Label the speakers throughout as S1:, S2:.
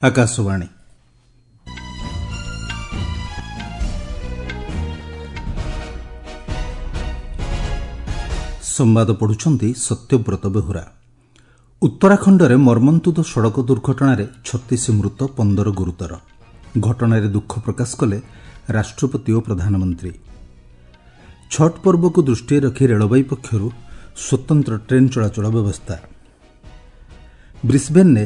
S1: ଆକାଶବାଣୀ। ସମ୍ବାଦ ପଢ଼ୁଛନ୍ତି ସତ୍ୟବ୍ରତ ବେହୁରା। ଉତ୍ତରାଖଣ୍ଡରେ ମର୍ମନ୍ତୁଦ ସଡ଼କ ଦୁର୍ଘଟଣାରେ 36 ମୃତ, 15 ଗୁରୁତର। ଘଟଣାରେ ଦୁଃଖ ପ୍ରକାଶ କଲେ ରାଷ୍ଟ୍ରପତି ଓ ପ୍ରଧାନମନ୍ତ୍ରୀ। ଛଟ୍ ପର୍ବକୁ ଦୃଷ୍ଟିରେ ରଖି ରେଳବାଇ ପକ୍ଷରୁ ସ୍ୱତନ୍ତ୍ର ଟ୍ରେନ୍ ଚଳାଚଳ ବ୍ୟବସ୍ଥା। ବ୍ରିସ୍ବେନ୍ରେ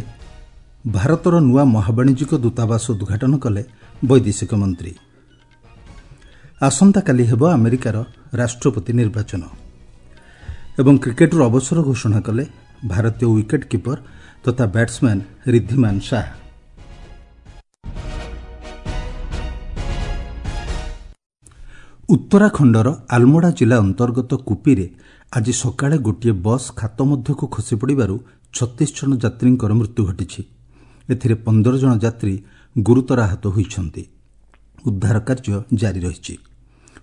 S1: ଭାରତର ନୂଆ ମହାବାଣିଜ୍ୟିକ ଦୂତାବାସ ଉଦ୍ଘାଟନ କଲେ ବୈଦେଶିକ ମନ୍ତ୍ରୀ। ଆସନ୍ତାକାଲି ହେବ ଆମେରିକାର ରାଷ୍ଟ୍ରପତି ନିର୍ବାଚନ। ଏବଂ କ୍ରିକେଟରୁ ଅବସର ଘୋଷଣା କଲେ ଭାରତୀୟ ୱିକେଟ୍ କିପର ତଥା ବ୍ୟାଟ୍ସମ୍ୟାନ୍ ରିଦ୍ଧିମାନ ଶାହା। ଉତ୍ତରାଖଣ୍ଡର ଆଲମୋଡ଼ା ଜିଲ୍ଲା ଅନ୍ତର୍ଗତ କୁପିରେ ଆଜି ସକାଳେ ଗୋଟିଏ ବସ୍ ଖାତ ମଧ୍ୟକୁ ଖସିପଡ଼ିବାରୁ 36 ଜଣ ଯାତ୍ରୀଙ୍କର ମୃତ୍ୟୁ ଘଟିଛି। ଏଥିରେ 15 ଜଣ ଯାତ୍ରୀ ଗୁରୁତର ଆହତ ହୋଇଛନ୍ତି। ଉଦ୍ଧାର କାର୍ଯ୍ୟ ଜାରି ରହିଛି।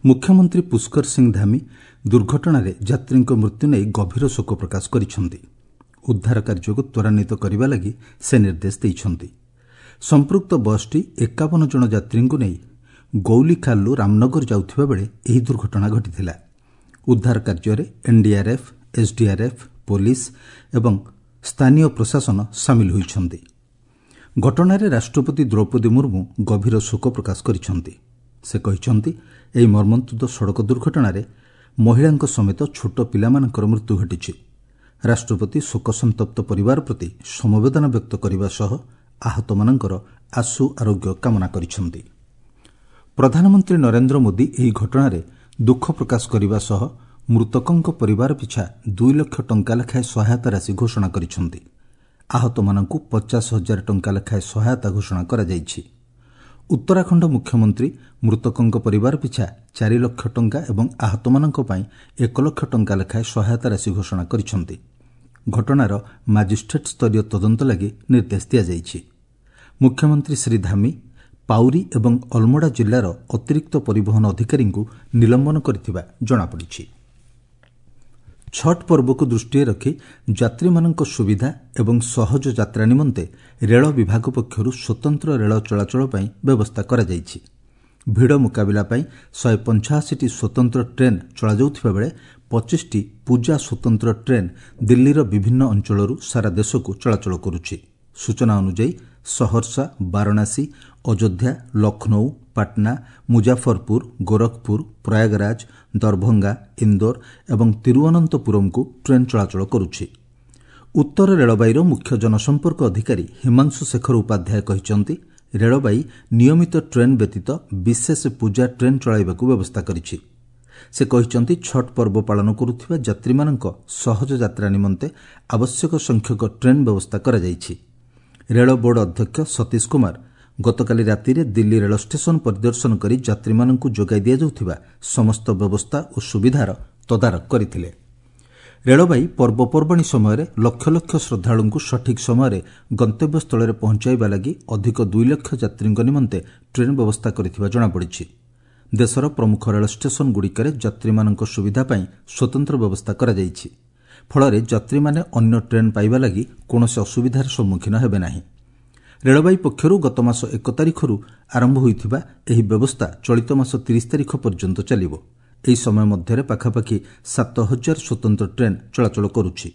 S1: ମୁଖ୍ୟମନ୍ତ୍ରୀ ପୁଷ୍କର ସିଂ ଧାମି ଦୁର୍ଘଟଣାରେ ଯାତ୍ରୀଙ୍କ ମୃତ୍ୟୁ ନେଇ ଗଭୀର ଶୋକ ପ୍ରକାଶ କରିଛନ୍ତି। ଉଦ୍ଧାର କାର୍ଯ୍ୟକୁ ତ୍ୱରାନ୍ୱିତ କରିବା ଲାଗି ସେ ନିର୍ଦ୍ଦେଶ ଦେଇଛନ୍ତି। ସମ୍ପୃକ୍ତ ବସ୍ଟି 51 ଜଣ ଯାତ୍ରୀଙ୍କୁ ନେଇ ଗୌଲିଖାଲରୁ ରାମନଗର ଯାଉଥିବା ବେଳେ ଏହି ଦୁର୍ଘଟଣା ଘଟିଥିଲା। ଉଦ୍ଧାର କାର୍ଯ୍ୟରେ ଏନ୍ଡିଆର୍ଏଫ୍, ଏସ୍ଡିଆର୍ଏଫ୍, ପୋଲିସ ଏବଂ ସ୍ଥାନୀୟ ପ୍ରଶାସନ ସାମିଲ ହୋଇଛନ୍ତି। ଘଟଣାରେ ରାଷ୍ଟ୍ରପତି ଦ୍ରୌପଦୀ ମୁର୍ମୁ ଗଭୀର ଶୋକ ପ୍ରକାଶ କରିଛନ୍ତି। ସେ କହିଛନ୍ତି, ଏହି ମର୍ମନ୍ତୁଦ ସଡ଼କ ଦୁର୍ଘଟଣାରେ ମହିଳାଙ୍କ ସମେତ ଛୋଟ ପିଲାମାନଙ୍କର ମୃତ୍ୟୁ ଘଟିଛି। ରାଷ୍ଟ୍ରପତି ଶୋକସନ୍ତପ୍ତ ପରିବାର ପ୍ରତି ସମବେଦନା ବ୍ୟକ୍ତ କରିବା ସହ ଆହତମାନଙ୍କର ଆଶୁ ଆରୋଗ୍ୟ କାମନା କରିଛନ୍ତି। ପ୍ରଧାନମନ୍ତ୍ରୀ ନରେନ୍ଦ୍ର ମୋଦି ଏହି ଘଟଣାରେ ଦୁଃଖ ପ୍ରକାଶ କରିବା ସହ ମୃତକଙ୍କ ପରିବାର ପିଛା 2 ଲକ୍ଷ ଟଙ୍କା ଲେଖାଏଁ ସହାୟତା ରାଶି ଘୋଷଣା କରିଛନ୍ତି। ଆହତମାନଙ୍କୁ 50 ହଜାର ଟଙ୍କା ଲେଖାଏଁ ସହାୟତା ଘୋଷଣା କରାଯାଇଛି। ଉତ୍ତରାଖଣ୍ଡ ମୁଖ୍ୟମନ୍ତ୍ରୀ ମୃତକଙ୍କ ପରିବାର ପିଛା 4 ଲକ୍ଷ ଟଙ୍କା ଏବଂ ଆହତମାନଙ୍କ ପାଇଁ 1 ଲକ୍ଷ ଟଙ୍କା ଲେଖାଏଁ ସହାୟତା ରାଶି ଘୋଷଣା କରିଛନ୍ତି। ଘଟଣାର ମାଜିଷ୍ଟ୍ରେଟ୍ ସ୍ତରୀୟ ତଦନ୍ତ ଲାଗି ନିର୍ଦ୍ଦେଶ ଦିଆଯାଇଛି। ମୁଖ୍ୟମନ୍ତ୍ରୀ ଶ୍ରୀ ଧାମି ପାଉରି ଏବଂ ଅଲମୋଡ଼ା ଜିଲ୍ଲାର ଅତିରିକ୍ତ ପରିବହନ ଅଧିକାରୀଙ୍କୁ ନିଲମ୍ବନ କରିଥିବା ଜଣାପଡ଼ିଛି। ଛଟ୍ ପର୍ବକୁ ଦୃଷ୍ଟିରେ ରଖି ଯାତ୍ରୀମାନଙ୍କ ସୁବିଧା ଏବଂ ସହଜ ଯାତ୍ରା ନିମନ୍ତେ ରେଳ ବିଭାଗ ପକ୍ଷରୁ ସ୍ୱତନ୍ତ୍ର ରେଳ ଚଳାଚଳ ପାଇଁ ବ୍ୟବସ୍ଥା କରାଯାଇଛି। ଭିଡ଼ ମୁକାବିଲା ପାଇଁ 185ଟି ସ୍ୱତନ୍ତ୍ର ଟ୍ରେନ୍ ଚଳାଯାଉଥିବା ବେଳେ 25ଟି ପୂଜା ସ୍ୱତନ୍ତ୍ର ଟ୍ରେନ୍ ଦିଲ୍ଲୀର ବିଭିନ୍ନ ଅଞ୍ଚଳରୁ ସାରା ଦେଶକୁ ଚଳାଚଳ କରୁଛି। ସୂଚନା ଅନୁଯାୟୀ ସହର୍ସା, ବାରାଣସୀ, ଅଯୋଧ୍ୟା, ଲକ୍ଷ୍ନୌ, ପାଟନା, ମୁଜାଫରପୁର, ଗୋରଖପୁର, ପ୍ରୟାଗରାଜ, ଦରଭଙ୍ଗା, ଇନ୍ଦୋର ଏବଂ ତିରୁଅନନ୍ତପୁରମକୁ ଟ୍ରେନ୍ ଚଳାଚଳ କରୁଛି। ଉତ୍ତର ରେଳବାଇର ମୁଖ୍ୟ ଜନସମ୍ପର୍କ ଅଧିକାରୀ ହିମାଂଶୁ ଶେଖର ଉପାଧ୍ୟାୟ କହିଛନ୍ତି, ରେଳବାଇ ନିୟମିତ ଟ୍ରେନ୍ ବ୍ୟତୀତ ବିଶେଷ ପୂଜା ଟ୍ରେନ୍ ଚଳାଇବାକୁ ବ୍ୟବସ୍ଥା କରିଛି। ସେ କହିଛନ୍ତି, ଛଟ୍ ପର୍ବ ପାଳନ କରୁଥିବା ଯାତ୍ରୀମାନଙ୍କ ସହଜ ଯାତ୍ରା ନିମନ୍ତେ ଆବଶ୍ୟକ ସଂଖ୍ୟକ ଟ୍ରେନ୍ ବ୍ୟବସ୍ଥା କରାଯାଇଛି। ରେଳ ବୋର୍ଡ ଅଧ୍ୟକ୍ଷ ସତୀଶ କୁମାର ଗତକାଲି ରାତିରେ ଦିଲ୍ଲୀ ରେଳ ଷ୍ଟେସନ ପରିଦର୍ଶନ କରି ଯାତ୍ରୀମାନଙ୍କୁ ଯୋଗାଇ ଦିଆଯାଉଥିବା ସମସ୍ତ ବ୍ୟବସ୍ଥା ଓ ସୁବିଧାର ତଦାରଖ କରିଥିଲେ। ରେଳବାଇ ପର୍ବପର୍ବାଣୀ ସମୟରେ ଲକ୍ଷ ଲକ୍ଷ ଶ୍ରଦ୍ଧାଳୁଙ୍କୁ ସଠିକ୍ ସମୟରେ ଗନ୍ତବ୍ୟସ୍ଥଳରେ ପହଞ୍ଚାଇବା ଲାଗି ଅଧିକ 2 ଲକ୍ଷ ଯାତ୍ରୀଙ୍କ ନିମନ୍ତେ ଟ୍ରେନ୍ ବ୍ୟବସ୍ଥା କରିଥିବା ଜଣାପଡ଼ିଛି। ଦେଶର ପ୍ରମୁଖ ରେଳ ଷ୍ଟେସନଗୁଡ଼ିକରେ ଯାତ୍ରୀମାନଙ୍କ ସୁବିଧା ପାଇଁ ସ୍ୱତନ୍ତ୍ର ବ୍ୟବସ୍ଥା କରାଯାଇଛି। ଫଳରେ ଯାତ୍ରୀମାନେ ଅନ୍ୟ ଟ୍ରେନ୍ ପାଇବା ଲାଗି କୌଣସି ଅସୁବିଧାର ସମ୍ମୁଖୀନ ହେବେ ନାହିଁ। ରେଳବାଇ ପକ୍ଷରୁ ଗତମାସ 1 ତାରିଖରୁ ଆରମ୍ଭ ହୋଇଥିବା ଏହି ବ୍ୟବସ୍ଥା ଚଳିତ ମାସ 30 ତାରିଖ ପର୍ଯ୍ୟନ୍ତ ଚାଲିବ। ଏହି ସମୟ ମଧ୍ୟରେ ପାଖାପାଖି 7 ହଜାର ସ୍ୱତନ୍ତ୍ର ଟ୍ରେନ୍ ଚଳାଚଳ କରୁଛି।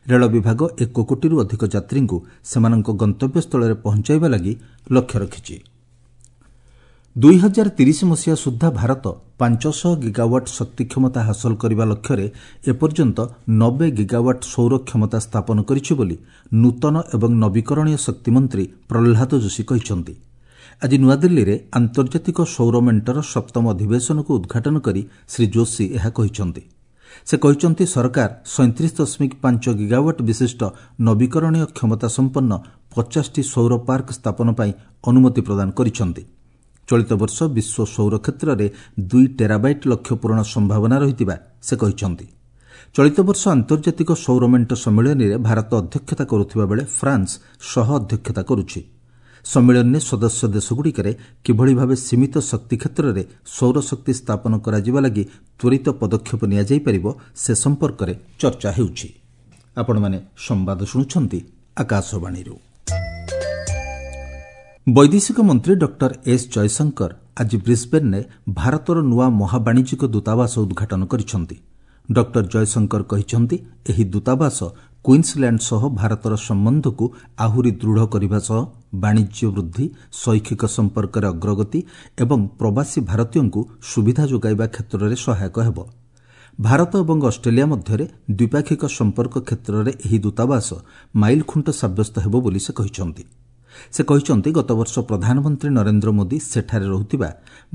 S1: ରେଳ ବିଭାଗ 1 କୋଟିରୁ ଅଧିକ ଯାତ୍ରୀଙ୍କୁ ସେମାନଙ୍କ ଗନ୍ତବ୍ୟସ୍ଥଳରେ ପହଞ୍ଚାଇବା ଲାଗି ଲକ୍ଷ୍ୟ ରଖିଛି। 2030 ମସିହା ସୁଦ୍ଧା ଭାରତ 500 ଗିଗାୱାଟ୍ ଶକ୍ତି କ୍ଷମତା ହାସଲ କରିବା ଲକ୍ଷ୍ୟରେ ଏପର୍ଯ୍ୟନ୍ତ 90 ଗିଗାୱାଟ୍ ସୌର କ୍ଷମତା ସ୍ଥାପନ କରିଛି ବୋଲି ନୂତନ ଏବଂ ନବୀକରଣୀୟ ଶକ୍ତିମନ୍ତ୍ରୀ ପ୍ରହ୍ଲାଦ ଯୋଶୀ କହିଛନ୍ତି। ଆଜି ନୂଆଦିଲ୍ଲୀରେ ଆନ୍ତର୍ଜାତିକ ସୌର ମେଣ୍ଟର ସପ୍ତମ ଅଧିବେଶନକୁ ଉଦ୍ଘାଟନ କରି ଶ୍ରୀ ଯୋଶୀ ଏହା କହିଛନ୍ତି। ସେ କହିଛନ୍ତି, ସରକାର 37.5 ଗିଗାୱାଟ୍ ବିଶିଷ୍ଟ ନବୀକରଣୀୟ କ୍ଷମତା ସମ୍ପନ୍ନ 50ଟି ସୌର ପାର୍କ ସ୍ଥାପନ ପାଇଁ ଅନୁମତି ପ୍ରଦାନ କରିଛନ୍ତି। ଚଳିତ ବର୍ଷ ବିଶ୍ୱ ସୌର କ୍ଷେତ୍ରରେ 2 ଟେରାବାଇଟ୍ ଲକ୍ଷ୍ୟ ପୂରଣ ସମ୍ଭାବନା ରହିଥିବା ସେ କହିଛନ୍ତି। ଚଳିତ ବର୍ଷ ଆନ୍ତର୍ଜାତିକ ସୌର ମେଣ୍ଟ ସମ୍ମିଳନୀରେ ଭାରତ ଅଧ୍ୟକ୍ଷତା କରୁଥିବା ବେଳେ ଫ୍ରାନ୍ସ ସହ ଅଧ୍ୟକ୍ଷତା କରୁଛି। ସମ୍ମିଳନୀରେ ସଦସ୍ୟ ଦେଶଗୁଡ଼ିକରେ କିଭଳି ଭାବେ ସୀମିତ ଶକ୍ତି କ୍ଷେତ୍ରରେ ସୌରଶକ୍ତି ସ୍ଥାପନ କରାଯିବା ଲାଗି ତ୍ୱରିତ ପଦକ୍ଷେପ ନିଆଯାଇପାରିବ ସେ ସମ୍ପର୍କରେ ଚର୍ଚ୍ଚା ହେଉଛି। ଆପଣମାନେ ସମ୍ବାଦ ଶୁଣୁଛନ୍ତି ଆକାଶବାଣୀରୁ। ବୈଦେଶିକ ମନ୍ତ୍ରୀ ଡକ୍ଟର ଏସ୍ ଜୟଶଙ୍କର ଆଜି ବ୍ରିସ୍ବେନ୍ରେ ଭାରତର ନୂଆ ମହାବାଣିଜ୍ୟିକ ଦୂତାବାସ ଉଦ୍ଘାଟନ କରିଛନ୍ତି। ଡକ୍ଟର ଜୟଶଙ୍କର କହିଛନ୍ତି, ଏହି ଦୂତାବାସ କୁଇନ୍ସଲ୍ୟାଣ୍ଡ ସହ ଭାରତର ସମ୍ବନ୍ଧକୁ ଆହୁରି ଦୃଢ଼ କରିବା ସହ ବାଣିଜ୍ୟ ବୃଦ୍ଧି, ଶୈକ୍ଷିକ ସମ୍ପର୍କରେ ଅଗ୍ରଗତି ଏବଂ ପ୍ରବାସୀ ଭାରତୀୟଙ୍କୁ ସୁବିଧା ଯୋଗାଇବା କ୍ଷେତ୍ରରେ ସହାୟକ ହେବ। ଭାରତ ଏବଂ ଅଷ୍ଟ୍ରେଲିଆ ମଧ୍ୟରେ ଦ୍ୱିପାକ୍ଷିକ ସମ୍ପର୍କ କ୍ଷେତ୍ରରେ ଏହି ଦୂତାବାସ ମାଇଲଖୁଣ୍ଟ ସାବ୍ୟସ୍ତ ହେବ ବୋଲି ସେ କହିଛନ୍ତି। ସେ କହିଛନ୍ତି, ଗତବର୍ଷ ପ୍ରଧାନମନ୍ତ୍ରୀ ନରେନ୍ଦ୍ର ମୋଦି ସେଠାରେ ରହୁଥିବା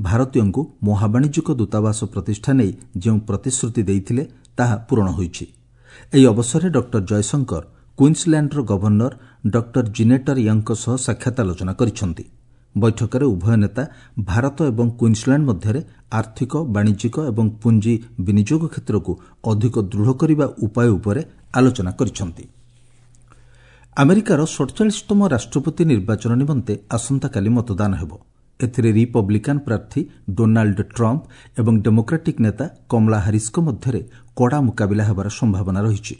S1: ଭାରତୀୟଙ୍କୁ ମହାବାଣିଜ୍ୟିକ ଦୂତାବାସ ପ୍ରତିଷ୍ଠା ନେଇ ଯେଉଁ ପ୍ରତିଶ୍ରୁତି ଦେଇଥିଲେ, ତାହା ପୂରଣ ହୋଇଛି। ଏହି ଅବସରରେ ଡକ୍ଟର ଜୟଶଙ୍କର କୁଇନ୍ସଲ୍ୟାଣ୍ଡର ଗଭର୍ଣ୍ଣର ଡକ୍ଟର ଜିନେଟର ୟଙ୍ଗଙ୍କ ସହ ସାକ୍ଷାତ ଆଲୋଚନା କରିଛନ୍ତି। ବୈଠକରେ ଉଭୟ ନେତା ଭାରତ ଏବଂ କୁଇନ୍ସଲ୍ୟାଣ୍ଡ ମଧ୍ୟରେ ଆର୍ଥିକ, ବାଣିଜ୍ୟିକ ଏବଂ ପୁଞ୍ଜି ବିନିଯୋଗ କ୍ଷେତ୍ରକୁ ଅଧିକ ଦୃଢ଼ କରିବା ଉପାୟ ଉପରେ ଆଲୋଚନା କରିଛନ୍ତି। ଆମେରିକାର 47ତମ ରାଷ୍ଟ୍ରପତି ନିର୍ବାଚନ ନିମନ୍ତେ ଆସନ୍ତାକାଲି ମତଦାନ ହେବ। ଏଥିରେ ରିପବ୍ଲିକାନ୍ ପ୍ରାର୍ଥୀ ଡୋନାଲ୍ଡ ଟ୍ରମ୍ପ ଏବଂ ଡେମୋକ୍ରାଟିକ୍ ନେତା କମଳା ହାରିସ୍ଙ୍କ ମଧ୍ୟରେ କଡ଼ା ମୁକାବିଲା ହେବାର ସମ୍ଭାବନା ରହିଛି।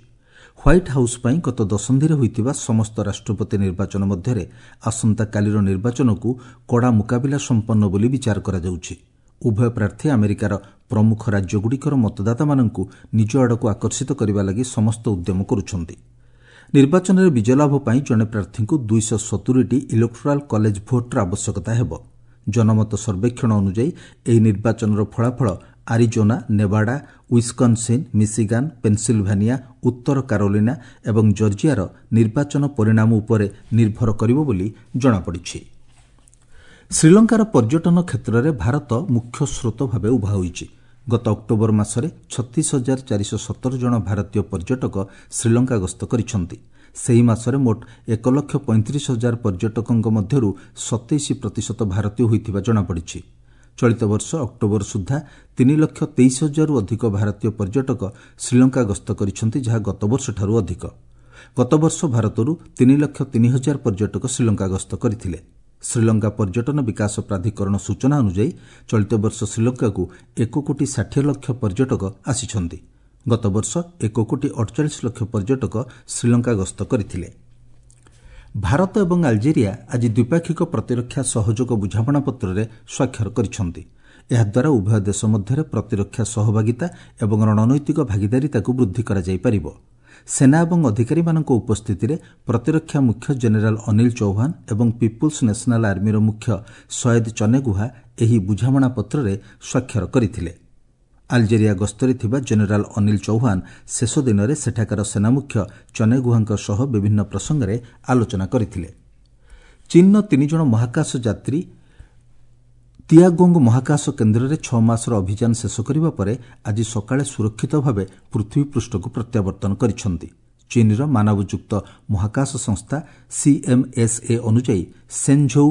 S1: ହ୍ୱାଇଟ୍ ହାଉସ୍ ପାଇଁ ଗତ ଦଶନ୍ଧିରେ ହୋଇଥିବା ସମସ୍ତ ରାଷ୍ଟ୍ରପତି ନିର୍ବାଚନ ମଧ୍ୟରେ ଆସନ୍ତାକାଲିର ନିର୍ବାଚନକୁ କଡ଼ା ମୁକାବିଲା ସମ୍ପନ୍ନ ବୋଲି ବିଚାର କରାଯାଉଛି। ଉଭୟ ପ୍ରାର୍ଥୀ ଆମେରିକାର ପ୍ରମୁଖ ରାଜ୍ୟଗୁଡ଼ିକର ମତଦାତାମାନଙ୍କୁ ନିଜ ଆଡ଼କୁ ଆକର୍ଷିତ କରିବା ଲାଗି ସମସ୍ତ ଉଦ୍ୟମ କରୁଛନ୍ତି। ନିର୍ବାଚନରେ ବିଜୟ ଲାଭ ପାଇଁ ଜଣେ ପ୍ରାର୍ଥୀଙ୍କୁ 270ଟି ଇଲେକ୍ଟୋରାଲ୍ କଲେଜ ଭୋଟ୍ର ଆବଶ୍ୟକତା ହେବ। ଜନମତ ସର୍ବେକ୍ଷଣ ଅନୁଯାୟୀ ଏହି ନିର୍ବାଚନର ଫଳାଫଳ ଆରିଜୋନା, ନେବାଡା, ୱିସ୍କନ୍ସିନ୍, ମିଶିଗାନ୍, ପେନ୍ସିଲଭାନିଆ, ଉତ୍ତର କାରୋଲିନା ଏବଂ ଜର୍ଜିଆର ନିର୍ବାଚନ ପରିଣାମ ଉପରେ ନିର୍ଭର କରିବ ବୋଲି ଜଣାପଡ଼ିଛି। ଶ୍ରୀଲଙ୍କାର ପର୍ଯ୍ୟଟନ କ୍ଷେତ୍ରରେ ଭାରତ ମୁଖ୍ୟ ସ୍ରୋତ ଭାବେ ଉଭା ହୋଇଛି। ଗତ ଅକ୍ଟୋବର ମାସରେ 36,417 ଜଣ ଭାରତୀୟ ପର୍ଯ୍ୟଟକ ଶ୍ରୀଲଙ୍କା ଗସ୍ତ କରିଛନ୍ତି। ସେହି ମାସରେ ମୋଟ 1,35,000 ପର୍ଯ୍ୟଟକଙ୍କ ମଧ୍ୟରୁ 27% ଭାରତୀୟ ହୋଇଥିବା ଜଣାପଡ଼ିଛି। ଚଳିତ ବର୍ଷ ଅକ୍ଟୋବର ସୁଦ୍ଧା 3,23,000ରୁ ଅଧିକ ଭାରତୀୟ ପର୍ଯ୍ୟଟକ ଶ୍ରୀଲଙ୍କା ଗସ୍ତ କରିଛନ୍ତି, ଯାହା ଗତବର୍ଷଠାରୁ ଅଧିକ। ଗତବର୍ଷ ଭାରତରୁ 3,03,000 ପର୍ଯ୍ୟଟକ ଶ୍ରୀଲଙ୍କା ଗସ୍ତ କରିଥିଲେ। ଶ୍ରୀଲଙ୍କା ପର୍ଯ୍ୟଟନ ବିକାଶ ପ୍ରାଧିକରଣ ସୂଚନା ଅନୁଯାୟୀ ଚଳିତ ବର୍ଷ ଶ୍ରୀଲଙ୍କାକୁ 1 କୋଟି 60 ଲକ୍ଷ ପର୍ଯ୍ୟଟକ ଆସିଛନ୍ତି। ଗତବର୍ଷ 1 କୋଟି 48 ଲକ୍ଷ ପର୍ଯ୍ୟଟକ ଶ୍ରୀଲଙ୍କା ଗସ୍ତ କରିଥିଲେ। ଭାରତ ଏବଂ ଆଲଜେରିଆ ଆଜି ଦ୍ୱିପାକ୍ଷିକ ପ୍ରତିରକ୍ଷା ସହଯୋଗ ବୁଝାମଣାପତ୍ରରେ ସ୍ୱାକ୍ଷର କରିଛନ୍ତି। ଏହାଦ୍ୱାରା ଉଭୟ ଦେଶ ମଧ୍ୟରେ ପ୍ରତିରକ୍ଷା ସହଭାଗିତା ଏବଂ ରଣନୈତିକ ଭାଗିଦାରିତାକୁ ବୃଦ୍ଧି କରାଯାଇପାରିବ। ସେନା ଏବଂ ଅଧିକାରୀମାନଙ୍କ ଉପସ୍ଥିତିରେ ପ୍ରତିରକ୍ଷା ମୁଖ୍ୟ ଜେନେରାଲ ଅନିଲ ଚୌହାନ ଏବଂ ପିପୁଲ୍ସ ନ୍ୟାସନାଲ୍ ଆର୍ମିର ମୁଖ୍ୟ ସୟେଦ ଚନେଗୁହା ଏହି ବୁଝାମଣାପତ୍ରରେ ସ୍ୱାକ୍ଷର କରିଥିଲେ। ଆଲଜେରିଆ ଗସ୍ତରେ ଥିବା ଜେନେରାଲ ଅନିଲ ଚୌହାନ ଶେଷ ଦିନରେ ସେଠାକାର ସେନାମୁଖ୍ୟ ଚନେଗୁହାଙ୍କ ସହ ବିଭିନ୍ନ ପ୍ରସଙ୍ଗରେ ଆଲୋଚନା କରିଥିଲେ। ଚୀନ୍ର ତିନିଜଣ ମହାକାଶ ଯାତ୍ରୀ ତିଆଗୋଙ୍ଗ ମହାକାଶ କେନ୍ଦ୍ରରେ 6 ମାସର ଅଭିଯାନ ଶେଷ କରିବା ପରେ ଆଜି ସକାଳେ ସୁରକ୍ଷିତ ଭାବେ ପୃଥିବୀ ପୃଷ୍ଠକୁ ପ୍ରତ୍ୟାବର୍ତ୍ତନ କରିଛନ୍ତି। ଚୀନ୍ର ମାନବଯୁକ୍ତ ମହାକାଶ ସଂସ୍ଥା ସିଏମ୍ଏସ୍ଏ ଅନୁଯାୟୀ ସେନ୍ଝୋଉ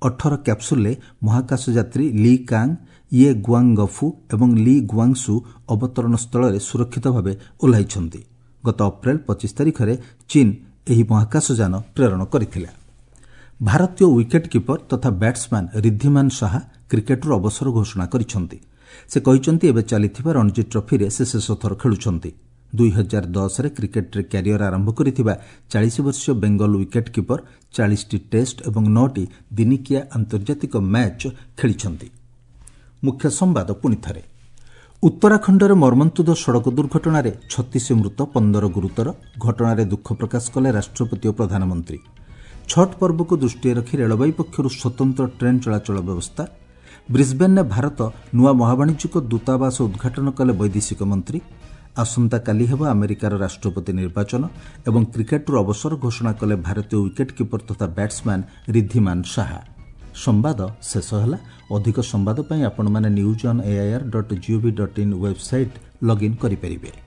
S1: 18 କ୍ୟାପ୍ସୁଲ୍ରେ ମହାକାଶ ଯାତ୍ରୀ ଲି କାଙ୍ଗ, ୟେ ଗୁଆଙ୍ଗଫୁ ଏବଂ ଲି ଗୁଆଙ୍ଗସୁ ଅବତରଣ ସ୍ଥଳରେ ସୁରକ୍ଷିତ ଭାବେ ଓହ୍ଲାଇଛନ୍ତି। ଗତ ଅପ୍ରେଲ 25 ତାରିଖରେ ଚୀନ୍ ଏହି ମହାକାଶଯାନ ପ୍ରେରଣ କରିଥିଲା। ଭାରତୀୟ ୱିକେଟ୍ କିପର ତଥା ବ୍ୟାଟ୍ସମ୍ୟାନ୍ ରିଦ୍ଧିମାନ ଶାହା କ୍ରିକେଟରୁ ଅବସର ଘୋଷଣା କରିଛନ୍ତି। ସେ କହିଛନ୍ତି, ଏବେ ଚାଲିଥିବା ରଣଜୀ ଟ୍ରଫିରେ ସେ ଶେଷଥର ଖେଳୁଛନ୍ତି। 2010ରେ କ୍ରିକେଟରେ କ୍ୟାରିୟର ଆରମ୍ଭ କରିଥିବା 40 ବର୍ଷୀୟ ବେଙ୍ଗଲ ୱିକେଟ୍ କିପର 40ଟି ଟେଷ୍ଟ ଏବଂ ନଅଟି ଦିନିକିଆ ଆନ୍ତର୍ଜାତିକ ମ୍ୟାଚ୍ ଖେଳିଛନ୍ତି। ମୁଖ୍ୟ ସମ୍ବାଦ ପୁଣିଥରେ। ଉତ୍ତରାଖଣ୍ଡରେ ମର୍ମନ୍ତୁଦ ସଡ଼କ ଦୁର୍ଘଟଣାରେ 36 ମୃତ, 15 ଗୁରୁତର। ଘଟଣାରେ ଦୁଃଖ ପ୍ରକାଶ କଲେ ରାଷ୍ଟ୍ରପତି ଓ ପ୍ରଧାନମନ୍ତ୍ରୀ। ଛଟ୍ ପର୍ବକୁ ଦୃଷ୍ଟିରେ ରଖି ରେଳବାଇ ପକ୍ଷରୁ ସ୍ୱତନ୍ତ୍ର ଟ୍ରେନ୍ ଚଳାଚଳ ବ୍ୟବସ୍ଥା। ବ୍ରିସ୍ବେନ୍ରେ ଭାରତ ନୂଆ ମହାବାଣିଜ୍ୟିକ ଦୂତାବାସ ଉଦ୍ଘାଟନ କଲେ ବୈଦେଶିକ ମନ୍ତ୍ରୀ। ଆସନ୍ତାକାଲି ହେବ ଆମେରିକାର ରାଷ୍ଟ୍ରପତି ନିର୍ବାଚନ ଏବଂ କ୍ରିକେଟରୁ ଅବସର ଘୋଷଣା କଲେ ଭାରତୀୟ ୱିକେଟ୍ କିପର ତଥା ବ୍ୟାଟ୍ସମ୍ୟାନ୍ ରିଦ୍ଧିମାନ ଶାହା। ସମ୍ବାଦ ଶେଷ ହେଲା। ଅଧିକ ସମ୍ବାଦ ପାଇଁ ଆପଣମାନେ newsonair.gov.in website login କରିପାରିବେ।